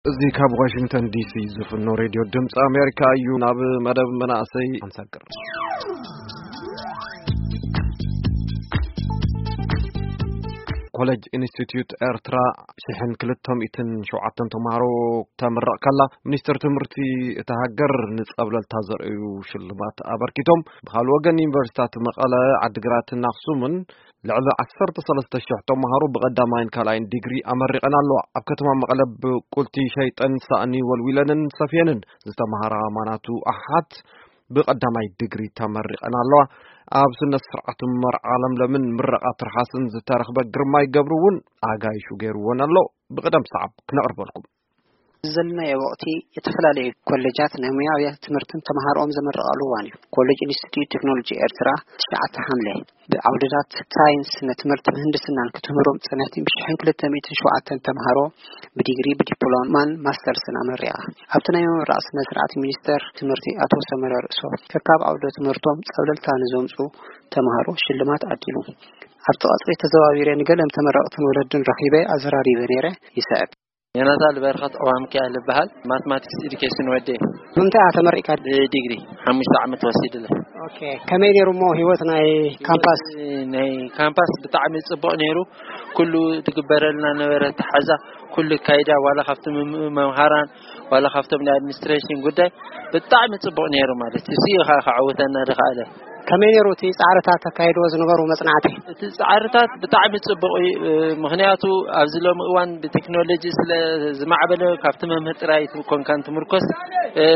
እዚ ካብ ዋሽንግተን ዲሲ ዝፍኖ ሬድዮ ድምፂ ኣሜሪካ እዩ። ናብ መደብ መናእሰይ ኣንሳቅር። ኮሌጅ ኢንስቲትዩት ኤርትራ ሽሕን ክልተ ሚእትን ሸውዓተን ተምሃሮ ተምረቕ ከላ፣ ሚኒስትር ትምህርቲ እታ ሃገር ንጸብለልታ ዘርእዩ ሽልማት ኣበርኪቶም። ብኻልእ ወገን፣ ዩኒቨርሲታት መቐለ፣ ዓድግራትን ኣኽሱምን ልዕሊ ዓሰርተ ሰለስተ ሽሕ ተምሃሮ ብቐዳማይን ካልኣይን ዲግሪ ኣመሪቐን ኣለዋ። ኣብ ከተማ መቐለ ብቁልቲ ሸይጠን ሳእኒ ወልዊለንን ሰፍየንን ዝተምሃራ ማናቱ ኣሓት ብቐዳማይ ዲግሪ ተመሪቐን ኣለዋ። ኣብ ስነ ስርዓት መርዓ ለምለምን ምረቓ ትርሓስን ዝተረኽበ ግርማይ ገብሩ እውን ኣጋይሹ ገይርዎን ኣሎ። ብቕደም ሰዓብ ክነቕርበልኩም። ዘለናዮ ወቕቲ፣ የተፈላለዩ ኮሌጃት ናይ ሙያ ኣብያተ ትምህርትን ተምሃሮኦም ዘመረቓሉ እዋን እዩ። ኮሌጅ ኢንስቲትዩት ቴክኖሎጂ ኤርትራ፣ ትሽዓተ ሓምለ፣ ብዓውድታት ሳይንስ፣ ስነ ትምህርቲ፣ ምህንድስናን ክትምህሮም ጸንሕቲ ብሽሕን ክልተ ሚእትን ሸውዓተን ተምሃሮ ብዲግሪ፣ ብዲፕሎማን ማስተርስን ኣመሪቓ። ኣብቲ ናይ ምምራቕ ስነ ስርዓት፣ ሚኒስተር ትምህርቲ ኣቶ ሰመረ ርእሶ፣ ከካብ ዓውደ ትምህርቶም ጸብለልታ ንዘምጹ ተምሃሮ ሽልማት ኣዲሉ። ኣብቲ ቀጽሪ ተዘዋዊረ ንገለም ተመረቕትን ወለድን ረኺበ ኣዘራሪበ ነይረ። ይስዕብ። ዮናታን በረኸት፣ እዋም ኪያል ይበሃል። ማትማቲክስ ኤዱኬሽን ወዴ። ብምንታይ ኢኻ ተመሪቕካ? ብዲግሪ ሓሙሽተ ዓመት ወሲድለ። ኦኬ፣ ከመይ ነይሩ እሞ ህይወት ናይ ካምፓስ? ናይ ካምፓስ ብጣዕሚ ጽቡቕ ነይሩ። ኩሉ ትግበረልና ነበረ፣ ተሓዛ ኩሉ ካይዳ፣ ዋላ ካብቲ መም-፣ መምሃራን፣ ዋላ ካብቶም ናይ ኣድሚኒስትሬሽን ጉዳይ ብጣዕሚ ጽቡቕ ነይሩ ማለት እዩ። እዚ እዩ ከ-፣ ከዕውተና ዝኸኣለ። ከመይ ነይሩ እቲ ጻዕርታት ተካይድዎ ዝነበሩ መጽናዕቲ? እቲ ጻዕርታት ብጣዕሚ ጽቡቕ እዩ። ምኽንያቱ ኣብዚ ሎሚ እዋን ብቴክኖሎጂ ስለ ዝማዕበለ፣ ካብቲ መምህር ጥራይ ኮንካን ትምርኮስ፣ እ፣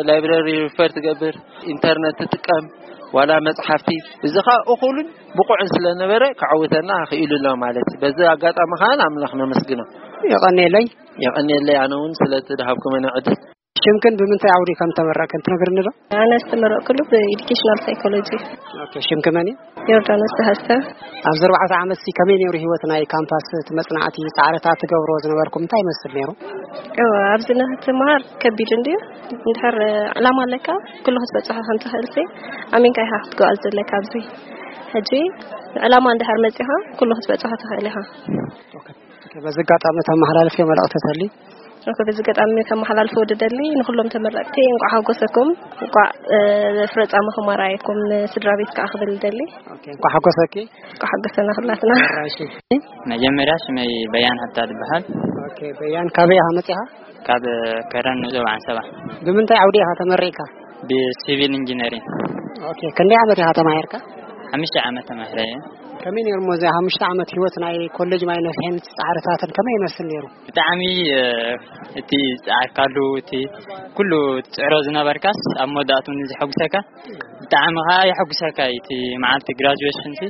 ላይብረሪ ሪፈር ትገብር፣ ኢንተርነት ትጥቀም፣ ዋላ መጽሓፍቲ፣ እዚ ኸኣ እኹልን ብቑዕን ስለ ነበረ፣ ከዕውተና ክኢሉ ኣሎ ማለት እዩ። በዚ ኣጋጣሚ ኸኣ ንኣምላኽ ነመስግኖ። የቐንየለይ። የቐንየለይ ኣነ እውን ስለቲ ድሃብኩመኒ ዕድል። ሽምክን ብምንታይ ዓውዲ ከም ተመረቅክን ትነግርኒ ዶ? ኣነ ዝተመረቅኩሉ ብኤዱኬሽናል ሳይኮሎጂ። ኦኬ፣ ሽምኪ መን እዩ? ዮርዳኖስ ተሃስተ። ኣብዚ ኣርባዕተ ዓመት ሲ ከመይ ነይሩ ህይወት ናይ ካምፓስ፣ እቲ መጽናዕቲ፣ ጻዕርታት ትገብሮ ዝነበርኩም እንታይ ይመስል ነይሩ? እወ፣ ኣብዚ ንክትመሃር ከቢድ እንድዩ። እንድሕር ዕላማ ኣለካ፣ ኩሉ ክትበጽሖ ከም ትኽእል ሲ፣ ኣሚንካ ኢኻ ክትጓዓዝ ዘለካ ኣብዚ። ሕጂ ዕላማ እንድሕር መጺኻ፣ ኩሉ ክትበጽሖ ትኽእል ኢኻ። ኦኬ፣ በዚ ኣጋጣሚ ተመሓላልፍዮ መልእኽቲ ተልዩ? ኦኬ፣ በዚ ኣጋጣሚ ከመሓላልፎ ዝደሊ ንኹሎም ተመረቕቲ እንቋዕ ሓጎሰኩም፣ እንቋዕ፣ እ፣ ፍረ ጻማኹም ኣርኣየኩም፣ ንስድራ ቤት ከኣ ክብል ዝደሊ። ኦኬ፣ እንቋዕ ሓጎሰኪ። እንቋዕ ሓጎሰና ኩላትና። እሺ። መጀመርያ ሽመይ በያን ሃብታ ዝበሃል። ኦኬ፣ በያን ካበይ ኢኻ መጺኻ? ካብ ከረን ንኡስ ዞባ ዓንሰባ። ብምንታይ ዓውዲ ኢኻ ተመሪቕካ? ብሲቪል ኢንጂነሪንግ። ኦኬ፣ ክንደይ ዓመት ኢኻ ተማሂርካ? ሓሙሽተ ዓመት ተማሂረ እየ። ከመይ ነይሩ እሞ እዚ ሓሙሽተ ዓመት ህይወት ናይ ኮሌጅ ማይ ነፍሒን ጻዕርታትን ከመይ ይመስል ነይሩ? ብጣዕሚ፣ እ፣ እቲ ዝጸዓርካሉ፣ እቲ ኩሉ ትጽዕሮ ዝነበርካስ ኣብ መወዳእትኡ ንዘሐጉሰካ ብጣዕሚ ኸኣ የሐጉሰካ እዩ። እቲ መዓልቲ ግራጁዌሽን ሲ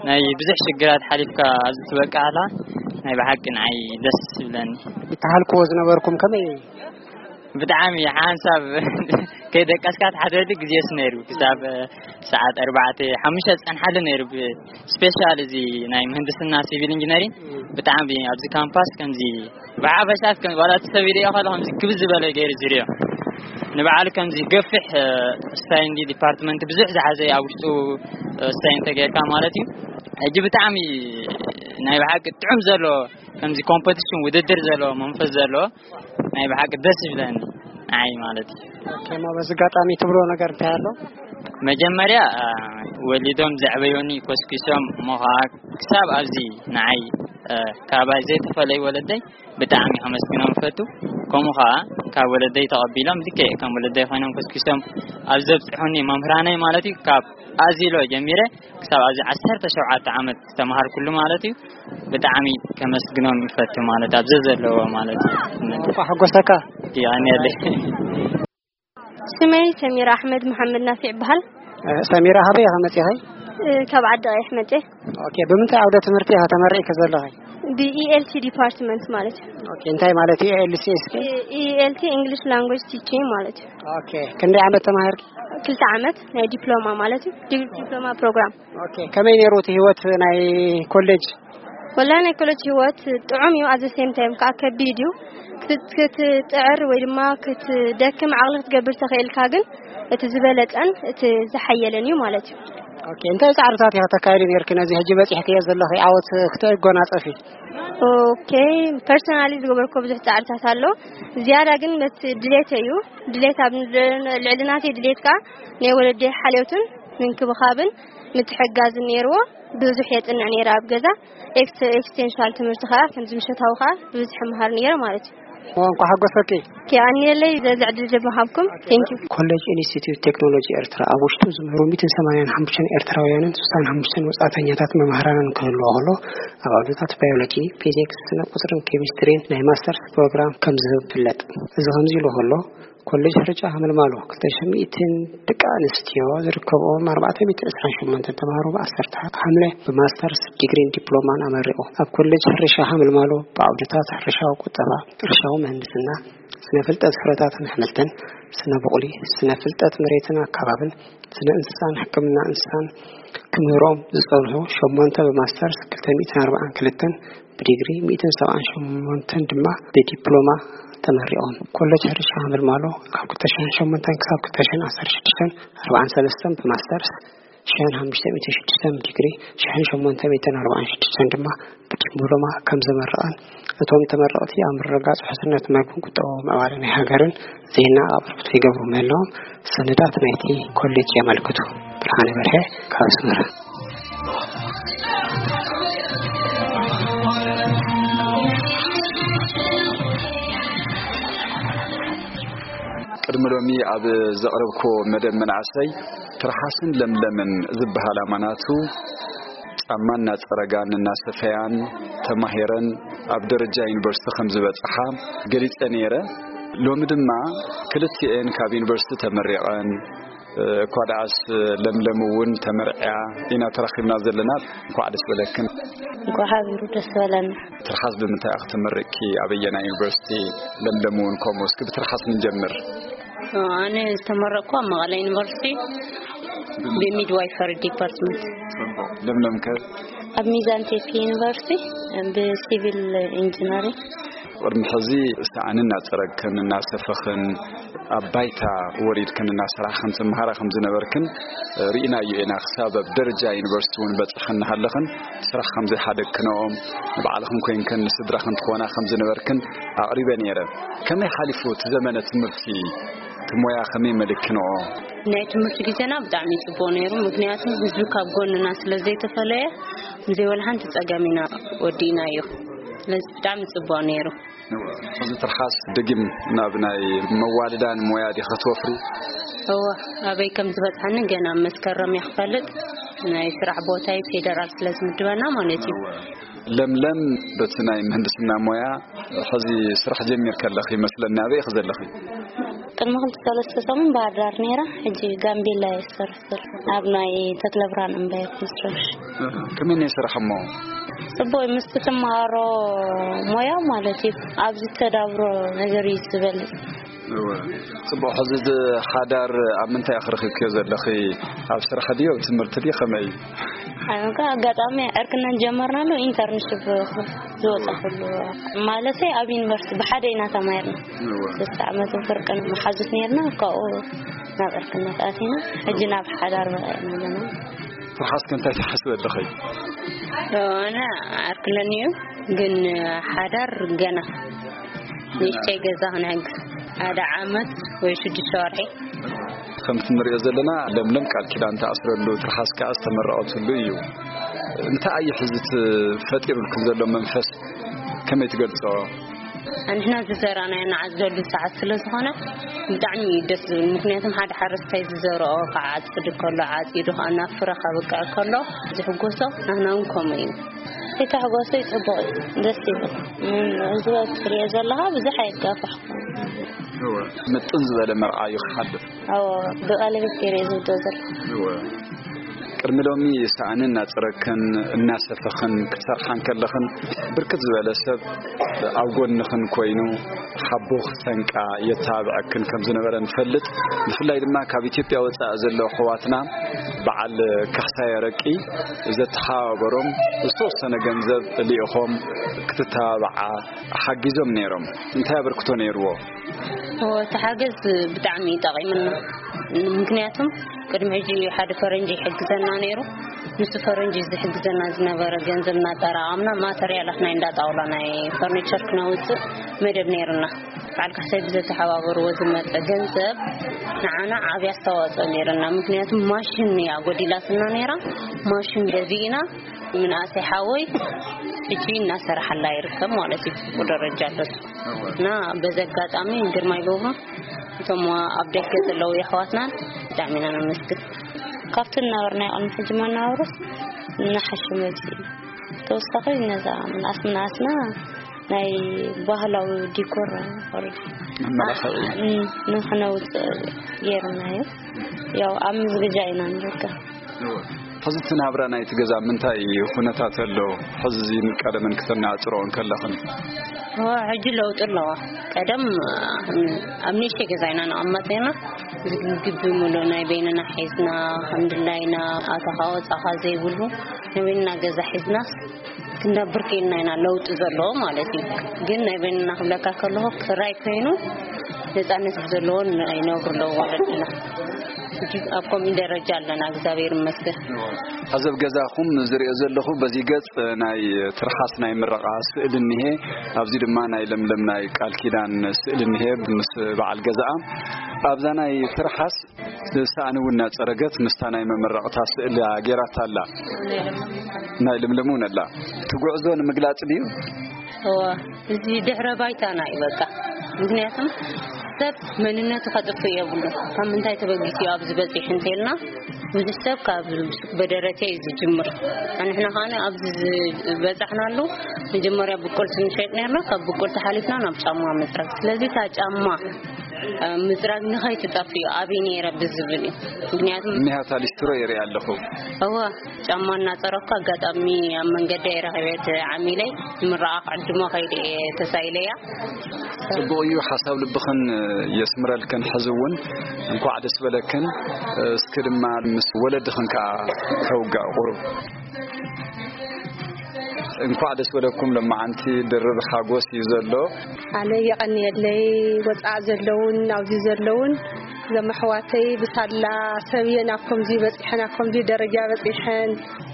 ናይ ብዙሕ ሽግራት ሓሊፍካ ኣብዚ ትበቅዓላ ናይ ብሓቂ ንዓይ ደስ ይብለኒ። ይተሃልክዎ ዝነበርኩም ከመይ? ብጣዕሚ ሓንሳብ ከይደቀስካ ትሓድረሉ ግዜስ ነይሩ። ክሳብ ሰዓት ኣርባዕተ፣ ሓሙሽተ ዝጸንሓሉ ነይሩ። ብ-፣ ስፔሻል እዚ ናይ ምህንድስና ሲቪል ኢንጂነሪንግ ብጣዕሚ ኣብዚ ካምፓስ ከምዚ ብሓፈሻ ከም ዋላ እቲ ሰብ ይርእዮ ከሎ ከምዚ ክብዝ ዝበለ ገይሩ ዝርእዮ። ንባዕሉ ከምዚ ገፊሕ፣ እ፣ ስታይ እንዲ ዲፓርትመንት ብዙሕ ዝሓዘ ኣብ ውሽጡ፣ እ፣ ስታይ እንተጌርካ ማለት እዩ። ሕጂ ብጣዕሚ ናይ ብሓቂ ጥዑም ዘሎ ከምዚ ኮምፐቲሽን ውድድር ዘሎ መንፈስ ዘሎ ናይ ብሓቂ ደስ ይብለኒ ንዓይ ማለት እዩ። ኦኬ፣ እሞ በዚ ኣጋጣሚ ትብሎ ነገር እንታይ ኣሎ? መጀመርያ፣ እ፣ ወሊዶም ዘዕበዮኒ ኮስኪሶም እሞ ኸዓ ክሳብ ኣብዚ ንዓይ፣ እ፣ ካባይ ዘይተፈለዩ ወለደይ ብጣዕሚ ከመስግኖም እፈቱ። ከምኡ ኸዓ ካብ ወለደይ ተቐቢሎም ልክዕ ከም ወለደይ ኮይኖም ኮስኪሶም ኣብ ዘብጽሑኒ መምህራነይ ማለት እዩ፣ ካብ ኣዚሎ ጀሚረ ክሳብ ኣብዚ ዓሰርተ ሸውዓተ ዓመት ዝተምሃርኩሉ ማለት እዩ፣ ብጣዕሚ ከመስግኖም ይፈቱ ማለት ኣብ ዘዘለዎ ማለት እዩ። እንኳዕ ሓጎሰካ። የቐንየለይ። ስመይ ሰሚራ ኣሕመድ መሓመድ ናፊዕ ይበሃል። እ፣ ሰሚራ፣ ካበይ ኢኻ መጺኺ? እ፣ ካብ ዓዲ ቀይሕ መጽየ። ኦኬ፣ ብምንታይ ዓውደ ትምህርቲ ኢኻ ተመሪዕኪ ዘለኺ? ብ-ኢ ኤል ሲ ዲፓርትመንት ማለት እዩ። ኦኬ፣ እንታይ ማለት እዩ ኤ ኤል ሲ እስኪ? ኢ-፣ ኢ ኤል ቲ፣ ኢንግሊሽ ላንጉጅ ቲቺንግ ማለት እዩ። ኦኬ፣ ክንደይ ዓመት ተማሂርኪ? ክልተ ዓመት ናይ ዲፕሎማ ማለት እዩ። ዲ-፣ ዲፕሎማ ፕሮግራም። ኦኬ፣ ከመይ ነይሩ እቲ ህይወት ናይ ኮሌጅ? ወላ ናይ ኮሌጅ ህይወት ጥዑም እዩ፣ ኣዘ ሴም ታይም ከዓ ከቢድ እዩ። ክት-፣ ክትጥዕር ወይ ድማ ክትደክም ዓቕሊ ክትገብር ተኽእልካ ግን እቲ ዝበለጸን እቲ ዝሓየለን እዩ ማለት እዩ። ኦኬ፣ እንታይ ጻዕርታት ኢኺ ተካይዲ ነርኪ ነዚ ሕጂ በጺሕክዮ ዘለኺ ዓወት ክትጎናጸፊ? ኦኬ፣ ፐርሰናሊ ዝገበርኩ ብዙሕ ጻዕርታት ኣሎ። ዝያዳ ግን በቲ ድሌት እዩ። ድሌት ኣብ ልዕሊ ናተይ ድሌት ከኣ ናይ ወለዲ ሓልዮትን ምንክብኻብን ምትሕጋዝን ነይርዎ። ብዙሕ የጽንዕ ነይረ ኣብ ገዛ። ኤክስ-፣ ኤክስቴንሽናል ትምህርቲ ከኣ ከምዚ ምሸታዊ ከኣ ብዙሕ መሃር ነይረ ማለት እዩ። እንኳ ሓጎሰኪ። ኪኣኒየለይ ዘዚ ዕድል ዝመሃብኩም። ቴንክ ዩ። ኮሌጅ ኢንስቲትዩት ቴክኖሎጂ ኤርትራ ኣብ ውሽጡ ዝምህሩ ሚእትን ሰማንያን ሓሙሽተን ኤርትራውያንን ስሳን ሓሙሽተን ወጻእተኛታት መምህራንን ክህልዎ ከሎ፣ ኣብ ዓውድታት ባዮሎጂ፣ ፊዚክስ፣ ስነ ቁጽርን ኬሚስትሪን ናይ ማስተርስ ፕሮግራም ከም ዝህብ ይፍለጥ። እዚ ከምዚ ኢሉ ከሎ፣ ኮሌጅ ሕርጫ ሃመልማሎ ክልተ ሽሕን ሚእትን ደቂ ኣንስትዮ ዝርከብኦም ኣርባዕተ ሚእትን ዕስራን ሸሞንተን ተምሃሮ ብዓሰርተ ሓምለ ብማስተርስ ዲግሪን ዲፕሎማን ኣመሪቑ። ኣብ ኮሌጅ ሕርሻ ሃመልማሎ ብዓውድታት ሕርሻዊ ቁጠባ፣ ሕርሻዊ ምህንድስና፣ ስነ ፍልጠት ፍረታትን ኣሕምልትን፣ ስነ ቡቕሊ፣ ስነ ፍልጠት መሬትን ኣካባብን፣ ስነ እንስሳን ሕክምና እንስሳን ክምህሮም ዝጸንሑ ሸሞንተ ብማስተርስ፣ ክልተ ሚእትን ኣርባዓን ክልተን ብዲግሪ፣ ሚእትን ሰብዓን ሸሞንተን ድማ ብዲፕሎማ ተመሪቖም። ኮሌጅ ሕርሻ ሃመልማሎ ካብ ክልተ ሽሕን ሸሞንተን ክሳብ ክልተ ሽሕን ዓሰርተ ሽዱሽተን ኣርባዓን ሰለስተን ብማስተርስ፣ ሽሕን ሓሙሽተ ሚእትን ሽዱሽተን ብዲግሪ፣ ሽሕን ሸሞንተ ሚእትን ኣርባዓን ሽዱሽተን ድማ ብዲፕሎማ ከም ዘመረቐን፣ እቶም ተመረቕቲ ኣብ ምርግጋጽ ውሕስነት መግብን ቁጠባዊ ምዕባለ ናይ ሃገርን ዜና ኣቕርቦት ይገብሩ ምህላዎም ሰነዳት ናይቲ ኮሌጅ የመልክቱ። ብርሃነ በርሀ ካብ ኣስመራ። ቅድሚ ሎሚ ኣብ ዘቕረብክዎ መደብ መናእሰይ ትርሓስን ለምለምን ዝበሃል ኣማናቱ ጫማ እናጸረጋን እናሰፈያን ተማሂረን ኣብ ደረጃ ዩኒቨርሲቲ ከም ዝበጽሓ ገሊጸ ነይረ። ሎሚ ድማ ክልቲኤን ካብ ዩኒቨርሲቲ ተመሪቐን፣ እኳ ደኣስ ለምለም እውን ተመርዕያ ኢና ተራኺብና ዘለና። እንኳዕ ደስ በለክን። እንኳዕ ሓቢሩ ደስ በለና። ትርሓስ ብምንታይ ኢኺ ተመሪቕኪ? ኣበየናይ ዩኒቨርሲቲ? ለምለም እውን ከምኡ። እስኪ ብትርሓስ ንጀምር። ኣነ ዝተመረቕኩ ኣብ መቐለ ዩኒቨርሲቲ ብሚድዋይፈሪ ዲፓርትመንት። ለምለም ከ? ኣብ ሚዛን ቴፒ ዩኒቨርሲቲ ብሲቪል ኢንጂነሪንግ። ቅድሚ ሕዚ ሳእኒ እናጸረግክን እናሰፈኽን ኣብ ባይታ ወሪድክን እናሰራሕክን ትመሃራ ከም ዝነበርክን ርኢናዮ ኢና። ክሳብ ኣብ ደረጃ ዩኒቨርሲቲ እውን በጺሕክን እናሃለኽን ስራሕ ከም ዘይሓደግክንኦም ንባዕልኽን ኮይንክን ንስድራኽን ትኾና ከም ዝነበርክን ኣቕሪበ ነይረ። ከመይ ሓሊፉ እቲ ዘመነ ትምህርቲ? እቲ ሞያ ከመይ መሊክክንኦ? ናይ ትምህርቲ ግዜና ብጣዕሚ ጽቡቕ ነይሩ። ምክንያቱ ህዝቢ ካብ ጎንና ስለ ዘይተፈለየ፣ ብዘይ ወላ ሓንቲ ጸገም ኢና ወዲእናዮ። ስለዚ ብጣዕሚ ጽቡቕ ነይሩ። ሕዚ ትርሓስ ደጊም ናብ ናይ መዋልዳን ሞያ ዲኺ ክትወፍሪ? እወ፣ ኣበይ ከም ዝበጽሓኒ ገና መስከረም እየ ክፈልጥ። ናይ ስራሕ ቦታይ ፌደራል ስለ ዝምድበና ማለት እዩ። ለምለም፣ በቲ ናይ ምህንድስና ሞያ ሕዚ ስራሕ ጀሚርኪ ኣለኺ ይመስለኒ። ኣበይ ኢኺ ዘለኺ? ቅድሚ ክልተ ሰለስተ ሰሙን ባህር ዳር ነይረ፣ ሕጂ ጋምቤላ እየ ዝሰርሕ ዘለኹ። ኣብ ናይ ተክለ ብርሃን እምባየ ኮንስትራክሽን። እህ፣ ከመይ ናይ ስራሕ እሞ? ጽቡቕ እዩ፣ ምስቲ ትመሃሮ ሞያ ማለት እዩ። ኣብዚ ተዳብሮ ነገር እዩ ዝበልጽ። እወ። ጽቡቕ፣ ሕዚ እዚ ሓዳር ኣብ ምንታይ ኢኺ ረኺብክዮ ዘለኺ? ኣብ ስራሕ ድዩ፣ ኣብ ትምህርቲ ድዩ፣ ከመይ እዩ? ኣነ ከኣ ኣጋጣሚ ዕርክነን ጀመርናሉ ኢንተርንሽፕ ዝወጻ ኩሉ ማለተይ ኣብ ዩኒቨርሲቲ ብሓደ ኢና ተማሂርና። እወ። ሰለስተ ዓመትን ፍርቅን መሓዙት ነይርና፣ ካብኡ ናብ ዕርክነት ኣቲና፣ ሕጂ ናብ ሓዳር በቒዕና ኣለና። ትርሓስኪ እንታይ ትሓስቢ ኣለኺ? ኣነ ዓርክለኒ እዩ፣ ግን ሓዳር ገና ንእሽተይ ገዛ ክንሕግዝ ሓደ ዓመት ወይ ሽዱሽተ ወርሒ። ከምቲ ንሪኦ ዘለና ለምለም ቃል ኪዳን ትኣስረሉ፣ ትርሓስ ከኣ ዝተመረቐትሉ እዩ። እንታይ እዩ ሕዚ እቲ ፈጢሩልኩም ዘሎ መንፈስ? ከመይ ትገልጾ? ንሕና ዝዘራእናዮ ንዓጽደሉ ሰዓት ስለ ዝኾነ ብጣዕሚ እዩ ደስ ዝብል። ምክንያቱም ሓደ ሓረስታይ ዝዘርኦ ክዓጽድ ከሎ፣ ዓጺዱ ከኣ ናብ ፍረ ከብቅዕ ከሎ ዝሕጎሶ፣ ንሕና እውን ከምኡ እዩ። እቲ ተሕጓሶ እዩ ጽቡቕ እዩ፣ ደስ ይብል። ም-፣ እዚ ትሪኦ ዘለኻ ብዙሕ ኣይጋፋሕኩን። እወ፣ ምጥን ዝበለ መርዓ እዩ ክሓልፍ። እወ፣ ብቐለቤት ገይረ እየ ዝውዶ ዘለኹ። እወ። ቅድሚ ሎሚ ሳእኒ እናጸረግክን እናሰፈኽን ክትሰርሓ እንከለኽን፣ ብርክት ዝበለ ሰብ ኣብ ጎንኽን ኮይኑ ሓቦ ክሰንቃ የተባብዐክን ከም ዝነበረ ንፈልጥ። ብፍላይ ድማ ካብ ኢትዮጵያ ወጻኢ ዘለዉ ኣሕዋትና በዓል ካሕሳይ ኣረቂ ዘተሓባበሮም ዝተወሰነ ገንዘብ ልኢኾም ክትተባብዓ ሓጊዞም ነይሮም። እንታይ ኣበርክቶ ነይርዎ? እወ፣ እቲ ሓገዝ ብጣዕሚ እዩ ጠቒሙና። ምክንያቱም ቅድሚ ሕጂ ሓደ ፈረንጂ ይሕግዘና ነይሩ። ምስ ፈረንጂ ዝሕግዘና ዝነበረ ገንዘብ እናጠራቐምና ማተርያላት ናይ እንዳ ጣውላ ናይ ፈርኒቸር ክነውፅእ መደብ ነይሩና። በዓል ካሕሳይ ብዘተሓባበርዎ ዝመፀ ገንዘብ ንዓና ዓብዪ ኣስተዋፅኦ ነይሩና። ምክንያቱ ማሽን እያ ጎዲላትና ነይራ። ማሽን ገዚእና ምንኣሰይ ሓወይ ሕጂ እናሰራሓላ ይርከብ ማለት እዩ። ጽቡቅ ደረጃ ኣሎ። እና በዚ ኣጋጣሚ ግርማይ ገብሩ እቶም ኣብ ደገ ዘለዉ የሕዋትናን ብጣዕሚ ኢና ነመስግን። ካብቲ እናበርና ይቐኑ ሕጂ መናበሮስ እናሓሸ መፅእ እዩ። ተወሳኺ ነዛ ምንኣስ ምንኣስና ናይ ባህላዊ ዲኮር ወርዲ መመላኽዒ። ንክነውፅእ ገይርናዮ። ያው ኣብ ምዝግጃ ኢና ንርከብ። ሕዚ እቲ ናብራ ናይቲ ገዛ ምንታይ ኩነታት ኣሎ? ሕዚ እዚን ቀደምን ክተነጻጽርኦ እንከለኽን። ሕጂ ለውጢ ኣለዋ። ቀደም ኣብ ንእሽተይ ገዛ ኢና ንቐመጥ ነርና። ግቢ ሙሉእ ናይ በይንና ሒዝና፣ ከም ድላይና ኣተኻ ወጻኻ ዘይብሉ ናይ በይንና ገዛ ሒዝና ክንነብር ክኢልና ኢና። ለውጢ ዘለዎ ማለት እዩ። ግን ናይ በይንና ክብለካ ከለኹ ክራይ ኮይኑ ነጻነት ብዘለዎ ይነብሩ ኣለዉ ወለድና። ሕጂ ኣብ ከምኡ ደረጃ ኣለና፣ እግዚኣብሔር ይመስገን። ኣብዚ ኣብ ገዛኹም ዝሪኦ ዘለኹ በዚ ገጽ ናይ ትርሓስ ናይ ምረቓ ስእሊ እኒሄ፣ ኣብዚ ድማ ናይ ለምለም ናይ ቃል ኪዳን ስእሊ እኒሄ ምስ በዓል ገዛኣ። ኣብዛ ናይ ትርሓስ ሳእኒ እውን እናጸረገት ምስታ ናይ መመረቕታ ስእሊ ገይራታ ኣላ። ናይ ለምለም እውን ኣላ። እቲ ጉዕዞ ንምግላጽ ድዩ? እወ፣ እዚ ድሕረ ባይታና እዩ በቃ። ምክንያቱም ሰብ መንነቱ ከጥፍእ የብሉ። ካብ ምንታይ ተበጊሱ እዩ ኣብዚ በፂሑ እንተልና፣ ብዙሕ ሰብ ካብ በደረቴ እዩ ዝጅምር። ንሕና ከኣ ኣብዚ ዝበፃሕናሉ መጀመርያ ብቁልቲ ንሸጥ ነርና፣ ካብ ብቁልቲ ሓሊፍና ናብ ጫማ ምፅራግ። ስለዚ እታ ጫማ እ፣ ምፅራግ ንኸይትጠፍእ እዩ ኣበይ ነይረ ብዝብል እዩ። ምክንያቱም እኒሃታ ሊስትሮ ይርኢ ኣለኹ። እወ፣ ጫማ እናፀረኩ ኣጋጣሚ ኣብ መንገዲ እየ ረኺበ እቲ ዓሚለይ ንምረቓ ክዕድሞ ከይደ እየ ተሳኢለያ። ጽቡቕ እዩ፣ ሓሳብ ልብኽን የስምረልክን። ሕዚ እውን እንኳዕ ደስ በለክን። እስኪ ድማ ምስ ወለድኽን ከኣ ከውጋእ ቁሩብ። እንኳዕ ደስ በለኩም። ለማዓንቲ ድርብ ሓጎስ እዩ ዘሎ። ኣነ የቐንየለይ። ወፃእ ዘለውን ኣብዚ ዘለውን ዘመሕዋተይ ብሳላ ሰብየን ኣብ ከምዚ በፂሐን ኣብ ከምዚ ደረጃ በፂሐን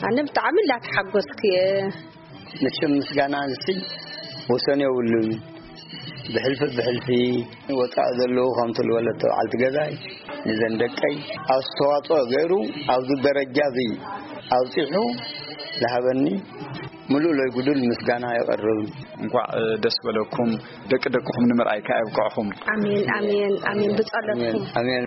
ኣነ ብጣዕሚ እንዳተሓጎስኩ እየ። መቸም ምስጋና ንስይ ወሰን የብሉን። ብሕልፊ ብሕልፊ ወፃእ ዘለዉ ከምቲ ዝበለት በዓልቲ ገዛይ ንዘን ደቀይ ኣስተዋፅኦ ገይሩ ኣብዚ ደረጃ እዚ ኣብፂሑ ዝሃበኒ ምሉእ ለይጉዱል ምስጋና የቕርብ። እንኳዕ ደስ በለኩም። ደቂ ደቅኹም ንምርኣይ ከኣ የብቅዕኹም። ኣሜን ኣሜን ኣሜን ብጸሎትኩም። ኣሜን።